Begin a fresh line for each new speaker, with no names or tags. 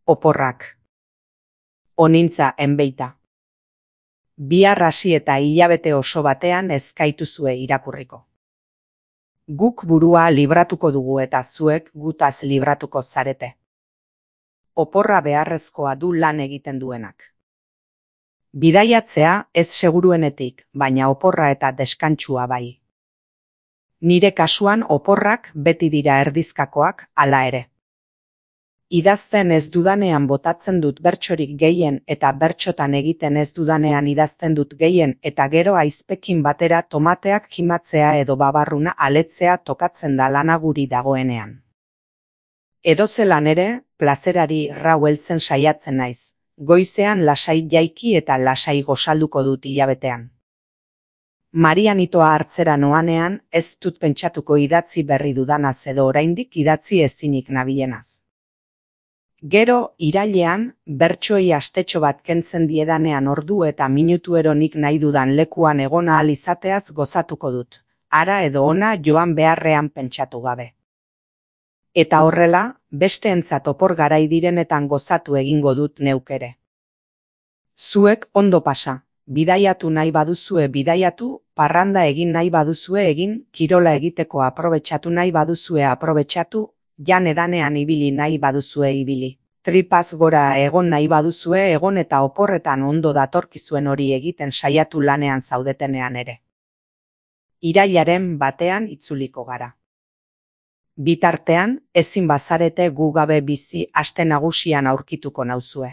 Oporrak. Onintza enbeita. Bihar hasi eta hilabete oso batean ez gaituzue irakurriko. Guk burua libratuko dugu eta zuek gutaz libratuko zarete. Oporra beharrezkoa du lan egiten duenak. Bidaiatzea ez seguruenetik, baina oporra eta deskantsua bai. Nire kasuan oporrak beti dira erdizkakoak, hala ere. Idazten ez dudanean botatzen dut bertsorik gehien eta bertsotan egiten ez dudanean idazten dut gehien eta gero aizpekin batera tomateak kimatzea edo babarruna aletzea tokatzen da lana guri dagoenean. Edozelan ere, plazerari rau heltzen saiatzen naiz. Goizean lasai jaiki eta lasai gozalduko dut hilabetean. Marianitoa hartzera noanean ez dut pentsatuko idatzi berri dudanaz edo oraindik idatzi ezinik nabilenaz. Gero, irailean, bertsoei astetxo bat kentzen diedanean ordu eta minutu eronik nahi dudan lekuan egon ahal izateaz gozatuko dut, hara edo ona joan beharrean pentsatu gabe. Eta horrela, besteentzat opor garai direnetan gozatu egingo dut neuk ere. Zuek ondo pasa, bidaiatu nahi baduzue bidaiatu, parranda egin nahi baduzue egin, kirola egiteko aprobetxatu nahi baduzue aprobetxatu, jan edanean ibili nahi baduzue ibili. Tripaz gora egon nahi baduzue egon eta oporretan ondo datorkizuen hori egiten saiatu lanean zaudetenean ere. Irailaren batean itzuliko gara. Bitartean, ezin bazarete gu gabe bizi aste nagusian aurkituko nauzue.